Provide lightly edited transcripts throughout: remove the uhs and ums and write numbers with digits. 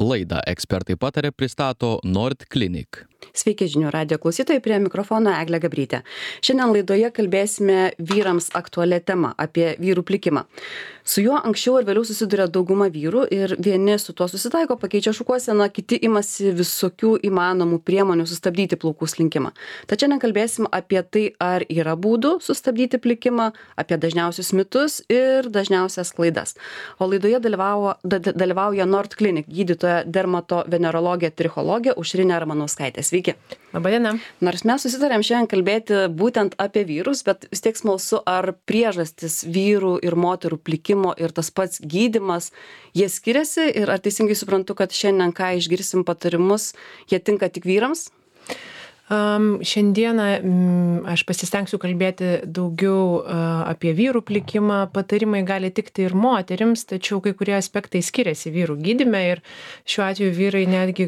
Laidą Ekspertai pataria pristato Nord Clinic. Sveiki žinių radijo klausytojai, prie mikrofono Eglė Gabrytė. Šiandien laidoje kalbėsime vyrams aktualią temą apie vyrų plikimą. Su juo anksčiau ir vėliau susiduria dauguma vyrų ir vieni su tuo susitaiko, pakeičia šukuoseną, kiti imasi visokių įmanomų priemonių sustabdyti plaukų slinkimą. Tačiau nekalbėsim apie tai, ar yra būdų sustabdyti plikimą, apie dažniausius mitus ir dažniausias klaidas. O laidoje dalyvauja Nord Clinic gydytoja dermatovenerologė trichologė Aušrinė Ramanauskaitė. Sveiki. Labadiena. Nors mes susitarėm šiandien kalbėti būtent apie vyrus, bet vis tiek smalsu, ar priežastis vyrų ir moterų plikimo ir tas pats gydymas, jie skiriasi ir ar teisingai suprantu, kad šiandien, ką išgirsim patarimus, jie tinka tik vyrams? Šiandieną aš pasistengsiu kalbėti daugiau apie vyrų plikimą. Patarimai gali tikti ir moterims, tačiau kai kurie aspektai skiriasi vyrų gydyme ir šiuo atveju vyrai netgi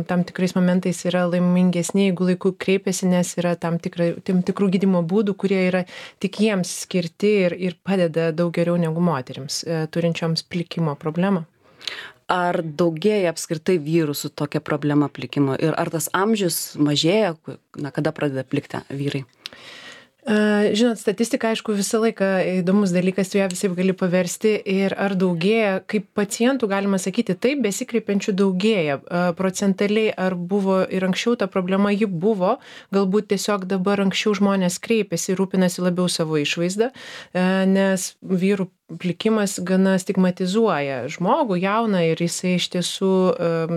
tam tikrais momentais yra laimingesni, jeigu laiku kreipiasi, nes yra tam tikrų gydymo būdų, kurie yra tik jiems skirti ir padeda daug geriau negu moterims turinčioms plikimo problemą. Ar daugėja apskritai vyrų su tokia problema plikimo ir ar tas amžius mažėja, kada pradeda plikti vyrai? Žinot, statistika, aišku, visą laiką įdomus dalykas, tu ją visai gali paversti ir ar daugėja, kaip pacientų galima sakyti, taip, besikreipiančių daugėja. Procentaliai ar buvo ir anksčiau ta problema, ji buvo, galbūt tiesiog dabar anksčiau žmonės kreipiasi, rūpinasi labiau savo išvaizdą, nes vyrų plikimas gana stigmatizuoja žmogų jauną ir jisai iš tiesų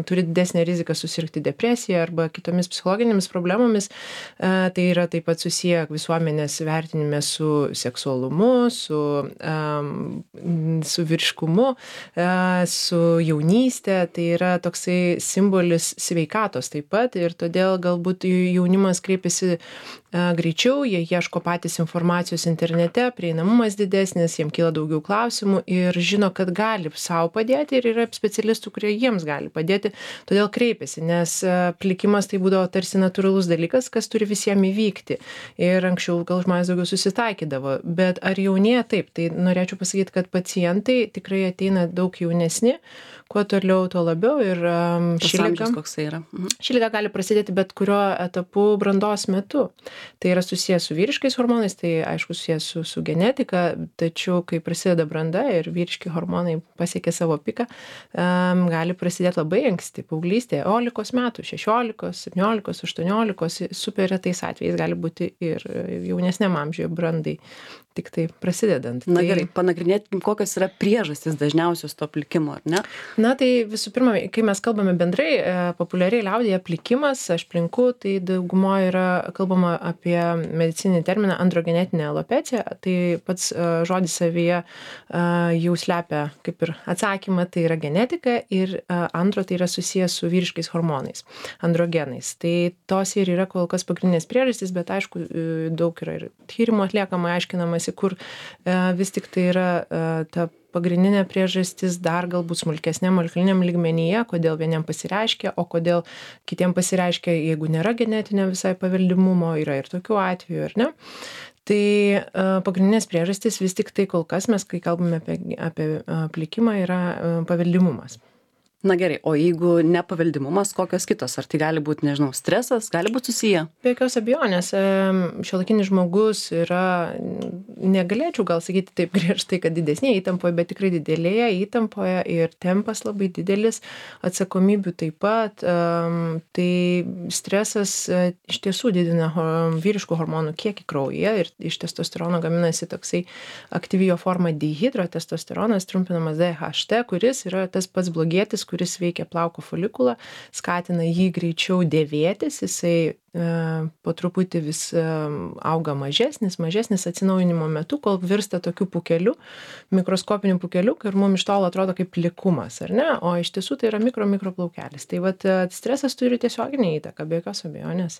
turi didesnę riziką susirgti depresiją arba kitomis psichologinėmis problemomis. Tai yra taip pat susiję visuomenės vertinime su seksualumu, su vyriškumu, su jaunystė. Tai yra toksai simbolis sveikatos taip pat ir todėl galbūt jaunimas kreipiasi greičiau, jie ieško patys informacijos internete, prieinamumas didesnis, jiems kyla daugiau klausimų ir žino, kad gali savo padėti ir yra specialistų, kurie jiems gali padėti, todėl kreipiasi, nes plikimas tai būdavo tarsi natūralus dalykas, kas turi visiems įvykti. Ir anksčiau gal žmonės daugiau susitaikydavo, bet ar jaunėja taip, tai norėčiau pasakyti, kad pacientai tikrai ateina daug jaunesni, kuo toliau, tuo labiau ir ši liga gali prasidėti bet kurio etapu brandos metu. Tai yra susijęs su vyriškais hormonais, tai aišku susijęs su genetika, tačiau kai prasideda branda ir vyriški hormonai pasiekia savo piką, gali prasidėti labai anksti, paauglystėje, 11 metų, 16, 17, 18, super retais atvejais gali būti ir jaunesniam amžiuje brandai, tik tai prasidedant. Na gerai, panagrinėkim, kokios yra priežastys dažniausios to plikimo, ar ne? Na tai visų pirma, kai mes kalbame bendrai, populiariai liaudyje plikimas, aš plinku, tai daugumoje yra kalbama apie medicininį terminą androgenetinė alopecija, tai pats žodis savyje jau slepia kaip ir atsakymą, tai yra genetika ir antro tai yra susijęs su vyriškais hormonais, androgenais. Tai tos ir yra kol kas pagrindinės priežastys, bet aišku, daug yra ir tyrimų atliekama, aiškinamasi, kur vis tik tai yra ta pagrindinė priežastis dar galbūt smulkesniam molekuliniam lygmenyje, kodėl vieniem pasireiškia, o kodėl kitiem pasireiškia, jeigu nėra genetinio visai paveldimumo, yra ir tokių atvejų, ar ne? Tai pagrindinės priežastys vis tik tai kol kas mes, kai kalbame apie plikimą, yra paveldimumas. Na gerai, o jeigu nepaveldimumas, kokios kitos? Ar tai gali būti, nežinau, stresas, gali būti susiję? Be jokios abejonės. Šiuolaikinis žmogus yra, negalėčiau gal sakyti taip griežtai, kad didesnėje įtampoje, bet tikrai didelėje įtampoje ir tempas labai didelis, atsakomybių taip pat. Tai stresas iš tiesų didina vyriškų hormonų kiekį kraujyje ir iš testosterono gaminasi toksai aktyviojo forma dihidrotestosteronas, trumpinamas DHT, kuris yra tas pats blogietis, kuris veikia plauko folikulą, skatina jį greičiau dėvėtis, jisai po truputį vis auga mažesnis atsinaujinimo metu, kol virsta tokiu pūkeliu, mikroskopiniu pūkeliu, ir mums iš tolo atrodo kaip plikumas, ar ne? O iš tiesų tai yra mikroplaukelis. Tai vat stresas turi tiesioginę įtaką, be jokios abejonės.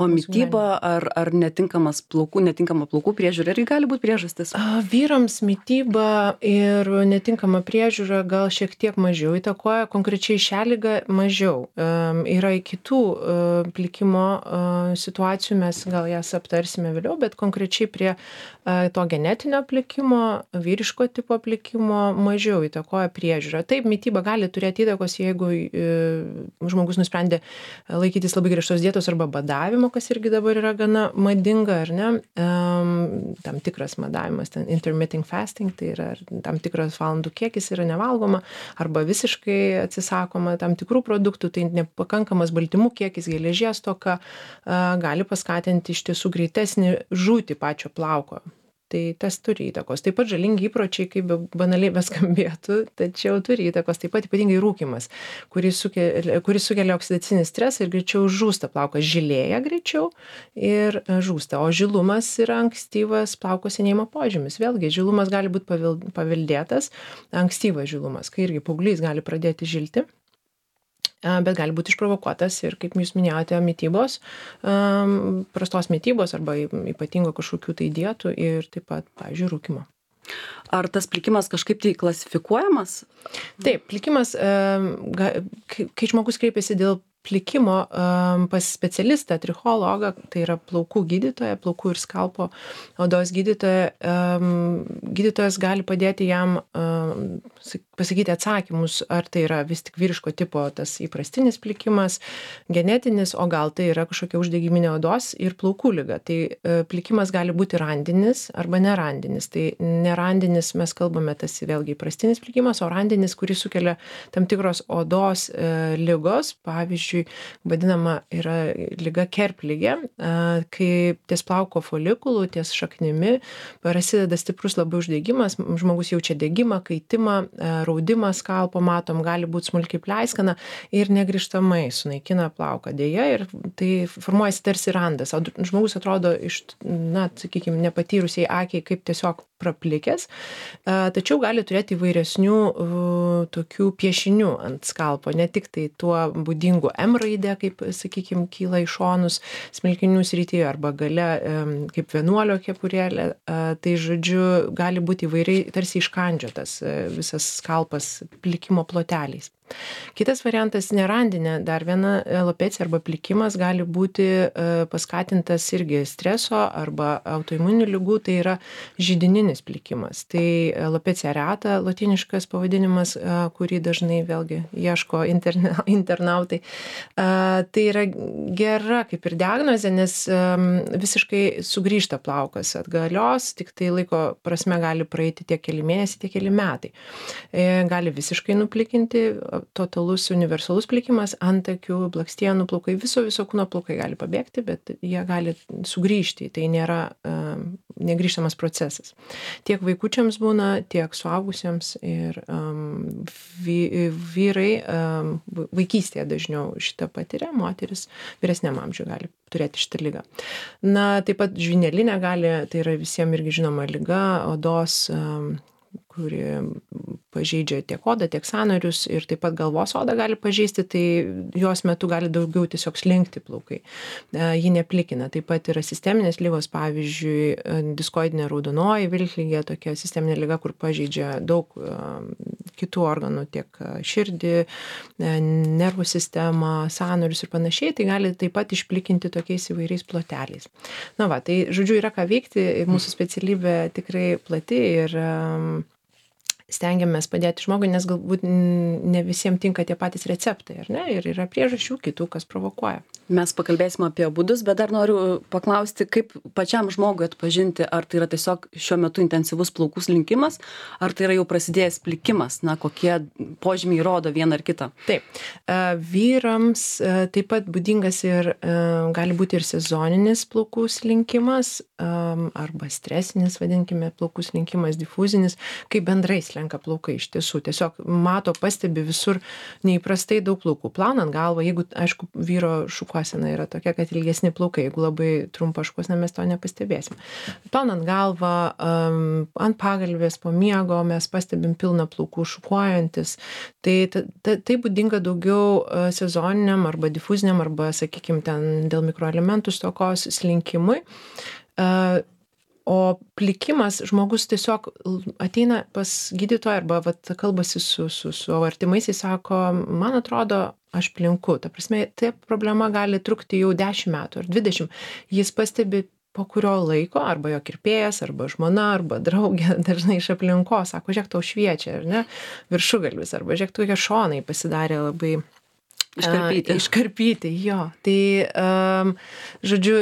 O mityba ar netinkama plaukų priežiūra irgi gali būti priežastis? Vyrams mityba ir netinkama priežiūra gal šiek tiek mažiau įtakoja, konkrečiai šią ligą mažiau. Yra kitų plikimo situacijų, mes gal jas aptarsime vėliau, bet konkrečiai prie to genetinio plikimo, vyriško tipo plikimo mažiau įtakoja priežiūra. Taip, mityba gali turėti įtakos, jeigu žmogus nusprendė laikytis labai griežtos dietos arba badavimo, kas irgi dabar yra gana madinga, ar ne? Tam tikras badavimas, ten intermittent fasting, tai yra tam tikras valandų kiekis yra nevalgoma arba visiškai atsisakoma tam tikrų produktų, tai nepakankamas baltymų kiekis, geležies stoka gali paskatinti iš tiesų greitesnį žūtį pačio plauko. Tai tas turi įtakos. Taip pat žalingi įpročiai, kaip banaliai beskambėtų, tačiau turi įtakos taip pat ypatingai rūkymas, kuris sukelia oksidacinį stresą ir greičiau žūsta plaukas, žilėja greičiau ir žūsta. O žilumas yra ankstyvas plauko senėjimo požymis. Vėlgi, žilumas gali būti paveldėtas, ankstyvas žilumas, kai irgi paauglys gali pradėti žilti, bet gali būti išprovokuotas ir, kaip jūs minėjote, mitybos, prastos mitybos arba ypatingo kažkokių tai dietų ir taip pat, pavyzdžiui, rūkymo. Ar tas plikimas kažkaip tai klasifikuojamas? Taip, plikimas, kai žmogus kreipiasi dėl plikimo pas specialistą, trichologą, tai yra plaukų gydytoja, plaukų ir skalpo odos gydytoja, gydytojas gali padėti jam pasakyti atsakymus, ar tai yra vis tik vyriško tipo tas įprastinis plikimas, genetinis, o gal tai yra kažkokia uždegiminė odos ir plaukų liga. Tai plikimas gali būti randinis arba nerandinis. Tai nerandinis mes kalbame tas vėlgi įprastinis plikimas, o randinis, kuris sukelia tam tikros odos ligos, pavyzdžiui, vadinama yra liga kerpligė, kai ties plauko folikulų, ties šaknimi prasideda stiprus labai uždegimas, žmogus jaučia degimą, kaitimą, raudimą skalpo, matom, gali būti smulkiai pleiskana ir negrįžtamai sunaikina plauką. Deja, ir tai formuojasi tarsi randas. O žmogus atrodo iš, sakykime, nepatyrusiai akiai kaip tiesiog praplikęs, tačiau gali turėti įvairesnių tokių piešinių ant skalpo, ne tik tai tuo būdingu M raidė, kaip, sakykime, kyla į šonus smilkinių srityje arba gale kaip vienuolio kepurėlė, tai žodžiu gali būti įvairiai tarsi iškandžiotas visas skalpas plikimo ploteliais. Kitas variantas nerandinė, dar viena alopecija arba plikimas gali būti paskatintas irgi streso arba autoimuninių ligų, tai yra židininis plikimas. Tai alopecia areata, latiniškas pavadinimas, kurį dažnai vėlgi ieško internautai. Tai yra gera kaip ir diagnozė, nes visiškai sugrįžta plaukas atgalios, tik tai laiko prasme gali praeiti tiek keli mėnesiai, tiek keli metai. Gali visiškai nuplikinti, totalus universalus plikimas, antakių, blakstienų plaukai, viso kūno plaukai gali pabėgti, bet jie gali sugrįžti. Tai nėra negrįžtamas procesas. Tiek vaikučiams būna, tiek suaugusiems ir vyrai vaikystėje dažniau šitą patiria, moteris vyresniam amžiui gali turėti šitą ligą. Taip pat žvynelinė gali, tai yra visiems irgi žinoma liga, odos, kuri pažeidžia tiek odą, tiek sąnarius ir taip pat galvos odą gali pažeisti, tai jos metu gali daugiau tiesiog slinkti plaukai. Ji neplikina. Taip pat yra sisteminės ligos, pavyzdžiui, diskoidinė raudonoji vilkligė, tokia sisteminė liga, kur pažeidžia daug kitų organų, tiek širdį, nervų sistemą, sąnarius ir panašiai, tai gali taip pat išplikinti tokiais įvairiais ploteliais. Tai žodžiu yra ką veikti, mūsų specialybė tikrai plati ir stengiamės padėti žmogui, nes galbūt ne visiems tinka tie patys receptai, ar ne? Ir yra priežasčių kitų, kas provokuoja. Mes pakalbėsime apie būdus, bet dar noriu paklausti, kaip pačiam žmogui atpažinti, ar tai yra tiesiog šiuo metu intensyvus plaukų slinkimas, ar tai yra jau prasidėjęs plikimas, kokie požymiai rodo vieną ar kitą. Taip. Vyrams taip pat būdingas ir gali būti ir sezoninis plaukų slinkimas, arba stresinis, vadinkime, plaukų slinkimas, difuzinis, kai bendrai slenka plaukai iš tiesų. Tiesiog pastebi visur neįprastai daug plaukų. Plaunant galvą, jeigu, aišku, vyro šukuosena yra tokia, kad ilgesni plaukai, jeigu labai trumpa šukuosena, mes to nepastebėsim. Plaunant galvą, ant pagalvės po miego mes pastebim pilną plaukų šukuojantis. Tai būdinga daugiau sezoniniam arba difuziniam arba, sakykime, ten dėl mikroelementų stokos slinkimui. O plikimas, žmogus tiesiog ateina pas gydytoją arba vat, kalbasi su savo artimaisiais, sako, man atrodo, aš plinku. Ta prasme, ta problema gali trukti jau 10 metų ar 20. Jis pastebi po kurio laiko, arba jo kirpėjas, arba žmona, arba draugė, dažnai iš aplinkos, sako, žiūrėk, tau šviečia, ar ne, viršugalvis, arba žiūrėk, tokie šonai pasidarė labai Iškarpyti, jo. Tai, žodžiu,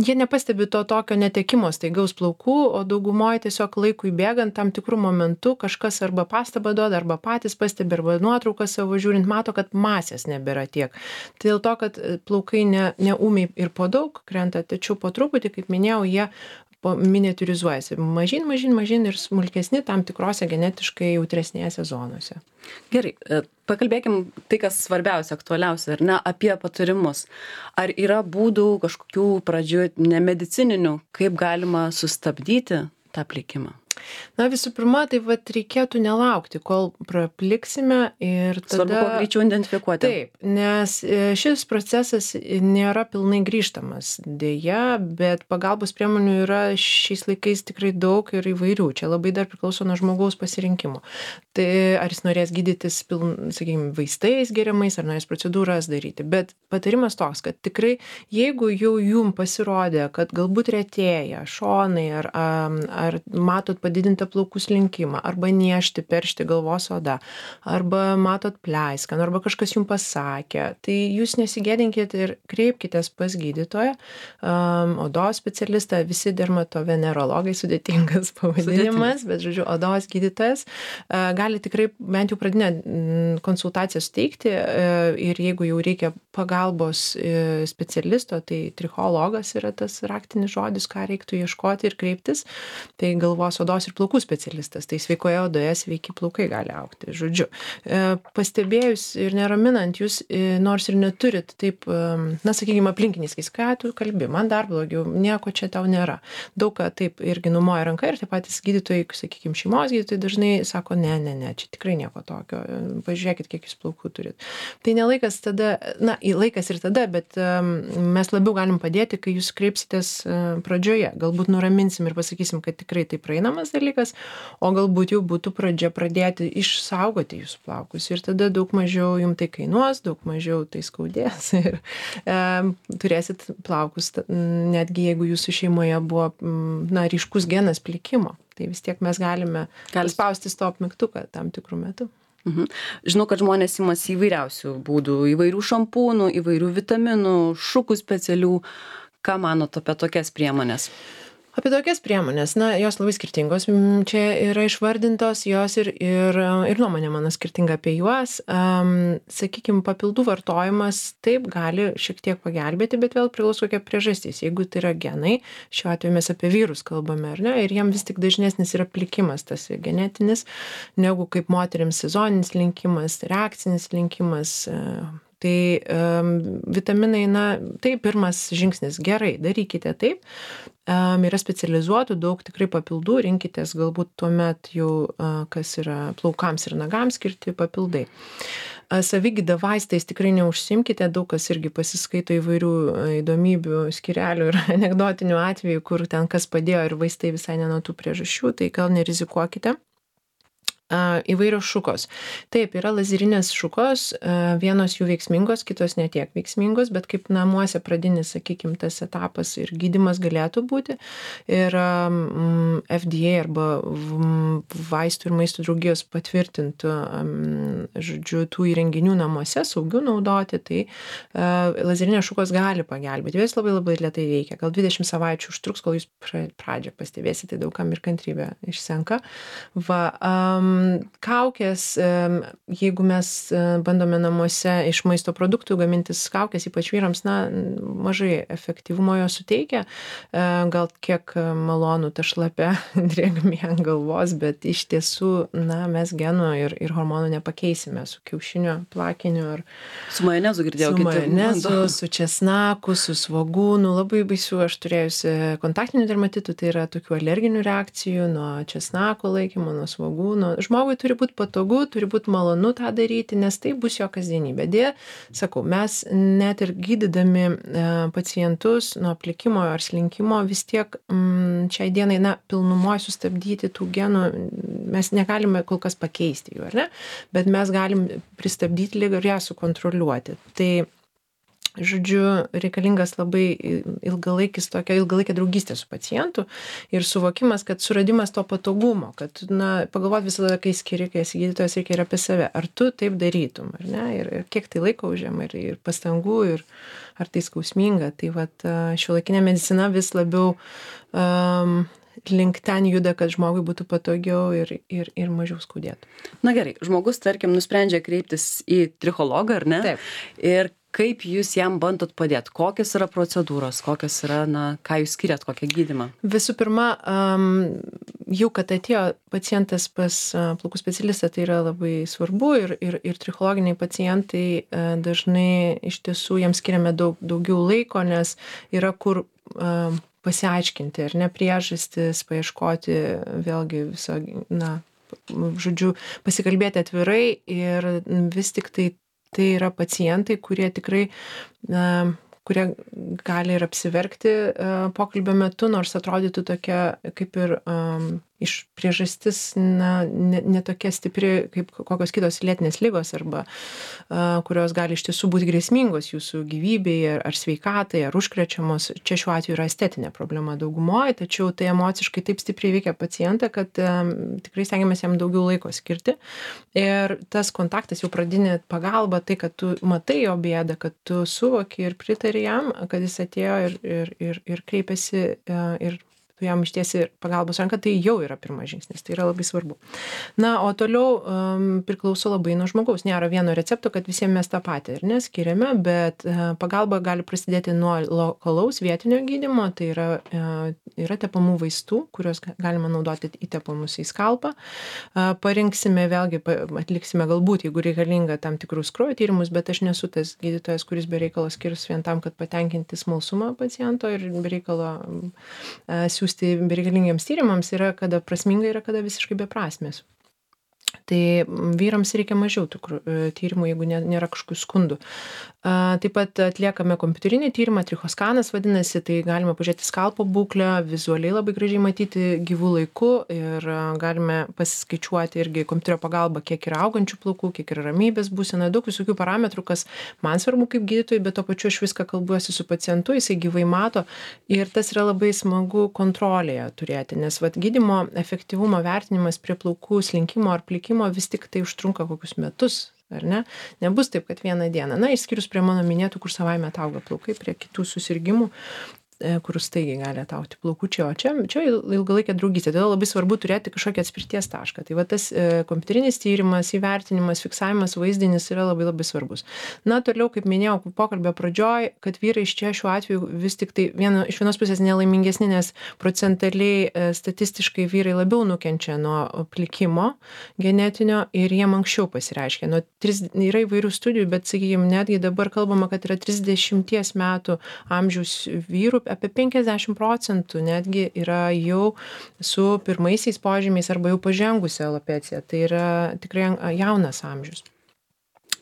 jie nepastebi to tokio netekimo staigaus plaukų, o daugumoje tiesiog laikui bėgant tam tikrų momentų kažkas arba pastabą duoda, arba patys pastebi, arba nuotrauką savo žiūrint, mato, kad masės nebėra tiek. Tai dėl to, kad plaukai neūmiai ir po daug krenta, tačiau po truputį, kaip minėjau, jie miniatūrizuojasi. Mažyn ir smulkesni tam tikrose genetiškai jautresnėse zonose. Gerai, pakalbėkim tai, kas svarbiausia, aktualiausia, ar ne, apie patarimus. Ar yra būdų kažkokių pradžių nemedicininių, kaip galima sustabdyti tą plikimą? Na, visų pirma, tai vat reikėtų nelaukti, kol prapliksime ir tada... Svarbu, kuo greičiau identifikuoti. Taip, nes šis procesas nėra pilnai grįžtamas dėja, bet pagalbos priemonių yra šiais laikais tikrai daug ir įvairių. Čia labai dar priklauso nuo žmogaus pasirinkimo. Tai ar jis norės gydytis, sakykime, vaistais geriamais, ar norės procedūras daryti. Bet patarimas toks, kad tikrai, jeigu jau jum pasirodė, kad galbūt retėja šonai, ar matot padidintą plaukų slinkimą, arba niežti, peršti galvos oda, arba matot pleiskanų, arba kažkas jums pasakė, tai jūs nesigėdinkit ir kreipkitės pas gydytoją, odos specialistą, visi dermatovenerologai, sudėtingas pavadinimas, bet, žodžiu, odos gydytojas gali tikrai bent jau pradinę konsultaciją suteikti ir jeigu jau reikia pagalbos specialisto, tai trichologas yra tas raktinis žodis, ką reiktų ieškoti ir kreiptis, tai galvos odos ir plaukų specialistas, tai sveikoje odoje sveiki plaukai gali augti. Žodžiu, pastebėjus ir neraminant jūs, nors ir neturit taip, na, sakykime, aplinkiniais, ką tu kalbi, man dar blogiau, nieko čia tau nėra. Daug ką taip irgi numoja ranka ir taip patys gydytojai, sakykime, šeimos gydytojai dažnai sako, ne, čia tikrai nieko tokio, pažiūrėkit, kiek jūs plaukų turit. Tai nelaikas tada, na, laikas ir tada, bet mes labiau galim padėti, kai jūs kreipsitės pradžioje. Galbūt nuraminsim ir pasakysim, kad tikrai tai praeinamas dalykas, o galbūt jau būtų pradžia pradėti išsaugoti jūsų plaukus ir tada daug mažiau jums tai kainuos, daug mažiau tai skaudės ir turėsit plaukus, netgi jeigu jūsų šeimoje buvo, na, ryškus genas plikimo, tai vis tiek mes galime spausti stop mygtuką tam tikrų metų. Žinau, kad žmonės imasi įvairiausių būdų, įvairių šampūnų, įvairių vitaminų, šukų specialių. Ką manot apie tokias priemonės? Apie tokias priemonės, na, jos labai skirtingos, čia yra išvardintos, jos ir nuomonė mano skirtinga apie juos. Sakykime, papildų vartojimas taip gali šiek tiek pagelbėti, bet vėl priklauso kokia priežastis. Jeigu tai yra genai, šiuo atveju mes apie vyrus kalbame, ar ne, ir jiem vis tik dažnesnis yra plikimas, tas genetinis, negu kaip moterims sezoninis linkimas, reakcinis linkimas. Tai vitaminai, na, tai pirmas žingsnis. Gerai, darykite taip. Yra specializuotų daug tikrai papildų, rinkitės galbūt tuomet jau, kas yra plaukams ir nagams skirti papildai. Savigyda vaistais tikrai neužsimkite, daug kas irgi pasiskaito įvairių įdomybių, skyrelių ir anekdotinių atvejų, kur ten kas padėjo ir vaistai visai ne nuo tų priežasčių, tai gal nerizikuokite. Įvairios šukos. Taip, yra lazerinės šukos, vienos jų veiksmingos, kitos netiek veiksmingos, bet kaip namuose pradinis, sakykime, tas etapas ir gydymas galėtų būti. Ir FDA arba vaistų ir maisto draugijos patvirtintų, žodžiu, tų įrenginių namuose saugių naudoti, tai lazerinės šukos gali pagelbėti. Vis labai lėtai veikia. Gal 20 savaičių užtruks, kol jūs pradžią pastebėsite, daugam ir kantrybė išsenka. Kaukės, jeigu mes bandome namuose iš maisto produktų gamintis kaukės, ypač vyrams, na, mažai efektyvumo jo suteikia, gal kiek malonu ta šlapia drėgmė ant galvos, bet iš tiesų, na, mes genų ir hormonų nepakeisime su kiaušinio plakiniu ar su majonezu girdėjau. Su majonezu, su česnaku, su svogūnu, labai baisių aš turėjusi kontaktinių dermatitų, tai yra tokių alerginių reakcijų nuo česnako laikymo, nuo svogūno. žmogui turi būti patogu, turi būti malonu tą daryti, nes tai bus jo kasdienybė. Deja, sakau, mes net ir gydydami pacientus nuo plikimo ar slinkimo vis tiek šiai dienai, pilnumoje sustabdyti tų genų, mes negalime kol kas pakeisti jų, ar ne? Bet mes galim pristabdyti ligą ir ją sukontroliuoti. Tai žodžiu, reikalingas labai ilgalaikė draugystė su pacientu ir suvokimas, kad suradimas to patogumo, kad, pagalvoti visada, kai esi gydytojas, reikia ir apie save. Ar tu taip darytum, ar ne? Ir kiek tai laiko užima, ir pastangų, ir ar tai skausminga. Tai šiuolaikinė medicina vis labiau link ten juda, kad žmogui būtų patogiau ir mažiau skaudėtų. Na gerai, žmogus, tarkim, nusprendžia kreiptis į trichologą, ar ne? Taip. Ir kaip jūs jam bandot padėti? Kokios yra procedūros? Kokios yra, ką jūs skiriat, kokią gydymą? Visų pirma, jau kad atėjo pacientas pas plaukų specialistą, tai yra labai svarbu ir trichologiniai pacientai dažnai iš tiesų jiems skiriame daugiau laiko, nes yra kur pasiaiškinti, ar ne, priežastis, paieškoti vėlgi viso, žodžiu, pasikalbėti atvirai ir vis tik tai yra pacientai, kurie tikrai, kurie gali ir apsiverkti pokalbio metu, nors atrodytų tokia kaip ir iš priežastis ne tokia stipri kaip kokios kitos lėtinės ligos arba kurios gali iš tiesų būti grėsmingos jūsų gyvybei ar sveikatai, ar užkrečiamos. Čia šiuo atveju yra estetinė problema daugumoje, tačiau tai emociškai taip stipriai veikia pacientą, kad tikrai stengiamės jam daugiau laiko skirti. Ir tas kontaktas, jau pradinė pagalba, tai, kad tu matai jo bėdą, kad tu suvoki ir pritari jam, kad jis atėjo ir kreipiasi ir tu jam ištiesi pagalbos ranką, tai jau yra pirmas žingsnis, tai yra labai svarbu. O toliau priklauso labai nuo žmogaus. Nėra vieno recepto, kad visiems mes tą patį ir neskiriame, bet pagalba gali prasidėti nuo lokalaus vietinio gydymo, tai yra tepamų vaistų, kuriuos galima naudoti įtepamus į skalpą. Parinksime vėlgi, atliksime galbūt, jeigu reikalinga tam tikrus kraujo tyrimus, bet aš nesu tas gydytojas, kuris be reikalo skirs vien tam, kad patenkinti smalsumą paciento ir be reikalo siūsti bereikalingiems tyrimams, yra kada prasminga, yra kada visiškai beprasmės. Tai vyrams reikia mažiau tyrimų, jeigu nėra kažkokių skundų. Taip pat atliekame kompiuterinį tyrimą, trichoskanas vadinasi, tai galime pažiūrėti skalpo būklę, vizualiai labai gražiai matyti gyvų laiku ir galime pasiskaičiuoti irgi kompiuterio pagalba, kiek yra augančių plaukų, kiek yra ramybės būsena, daug visokių parametrų, kas man svarbu kaip gydytojui, bet to pačiu aš viską kalbuosi su pacientu, jisai gyvai mato ir tas yra labai smagu kontrolėje turėti, nes gydymo efektyvumo vertinimas prie plaukų slinkimo ar plikimo vis tik tai užtrunka kokius metus, ar ne? Nebus taip, kad vieną dieną. Išskyrus prie mano minėtų, kur savaime atauga plaukai, prie kitų susirgymų, kur staigiai gali atauti plaukučiai, o čia ilgalaikė draugystė. Todėl labai svarbu turėti kažkokį atspirties tašką. Tai tas kompiuterinis tyrimas, įvertinimas, fiksavimas, vaizdinis yra labai labai svarbus. Toliau, kaip minėjau, pokalbio pradžioj, kad vyrai iš čia šiuo atveju vis tik tai iš vienos pusės nelaimingesni, nes procentaliai statistiškai vyrai labiau nukenčia nuo plikimo genetinio ir jiem anksčiau pasireiškia. Yra įvairių studijų, bet, sakykime, netgi dabar kalbama, kad yra 30 metų amžiaus vyrų, apie 50% netgi yra jau su pirmaisiais požymiais arba jau pažengusi alopecija. Tai yra tikrai jaunas amžius.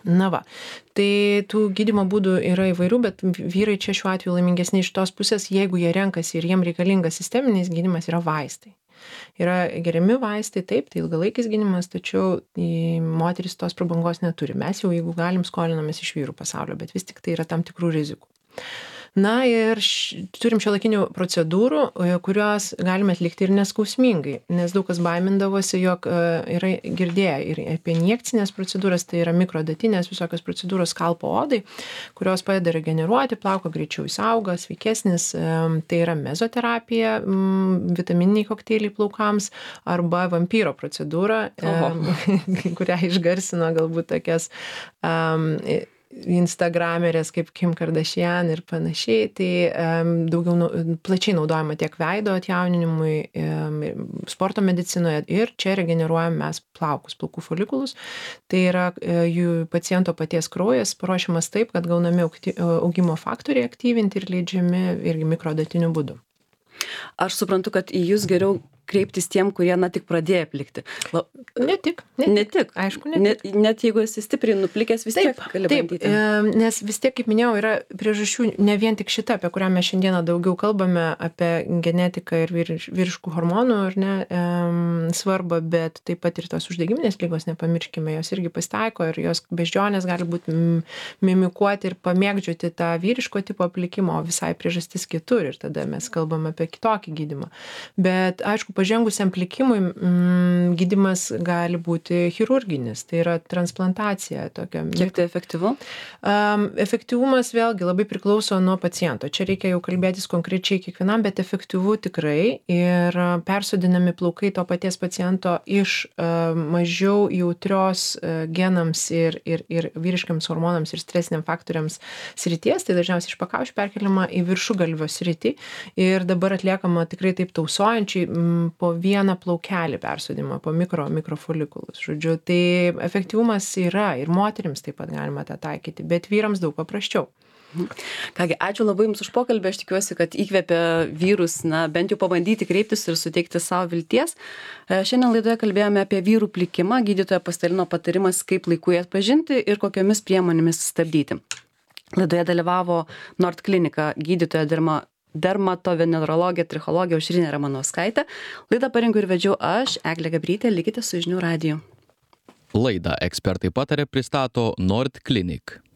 Tai tų gydymo būdų yra įvairių, bet vyrai čia šiuo atveju laimingesni iš tos pusės, jeigu jie renkasi ir jiem reikalingas sisteminis gydymas, yra vaistai. Yra geriami vaistai, taip, tai ilgalaikis gydymas, tačiau moteris tos prabangos neturi. Mes jau, jeigu galim, skolinamės iš vyrų pasaulio, bet vis tik tai yra tam tikrų rizikų. Ir turim šiuolaikinių procedūrų, kurios galime atlikti ir neskausmingai, nes daug kas baimindavosi, jog yra girdėję ir apie injekcinės procedūras, tai yra mikrodatinės visokios procedūros skalpo odai, kurios padeda regeneruoti, plauką greičiau jis auga, sveikesnis, tai yra mezoterapija, vitamininiai kokteiliai plaukams arba vampyro procedūra, kurią išgarsino galbūt tokias instagramerės kaip Kim Kardashian ir panašiai, tai daugiau plačiai naudojama tiek veido atjauninimui, sporto medicinoje ir čia regeneruojam mes plaukus, plaukų folikulus. Tai yra jų paciento paties kraujas paruošiamas taip, kad gaunami augimo faktoriai aktyvinti ir leidžiami irgi mikrodatiniu būdu. Aš suprantu, kad į jūs geriau kreiptis tiem, kurie, tik pradėjo plikti? Ne tik. Aišku, ne tik. Net jeigu esi stipriai nuplikęs, vis tiek gali bandyti. Nes vis tiek, kaip minėjau, yra priežasčių ne vien tik šita, apie kurią mes šiandieną daugiau kalbame, apie genetiką ir vyriškų hormonų, ar ne, svarbą, bet taip pat ir tos uždegiminės ligos, nepamirškime, jos irgi pasitaiko ir jos beždžionės gali būti mimikuoti ir pamėgdžioti tą vyriško tipo plikimo, o visai priežastis kitur ir tada mes kalbame apie kitokį gydymą. Bet, aišku, pažengusiam plikimui gydymas gali būti chirurginis, tai yra transplantacija tokia. Kiek tai efektyvu? Efektyvumas vėlgi labai priklauso nuo paciento. Čia reikia jau kalbėtis konkrečiai kiekvienam, bet efektyvu tikrai ir persodinami plaukai to paties paciento iš mažiau jautrios genams ir vyriškiams hormonams ir stresiniam faktoriams srities, tai dažniausiai iš pakaušių perkeliama į viršugalvio sritį ir dabar atliekama tikrai taip tausojančiai po vieną plaukelį persodimą, po mikrofolikulus. Žodžiu, tai efektyvumas yra ir moterims taip pat galima tą taikyti, bet vyrams daug paprasčiau. Kągi, ačiū labai Jums už pokalbį, aš tikiuosi, kad įkvėpia vyrus, bent jau pabandyti kreiptis ir suteikti savo vilties. Šiandien laidoje kalbėjome apie vyrų plikimą, gydytoja pasidalino patarimas, kaip laiku jį atpažinti ir kokiomis priemonėmis stabdyti. Laidoje dalyvavo Nord Klinika gydytoja dermatovenerologė, trichologė Aušrinė Ramanauskaitė. Laidą parengiau ir vedžiau aš, Eglė Gabrytė, likite su Žinių radiju. Laidą Ekspertai pataria pristato Nord Klinik.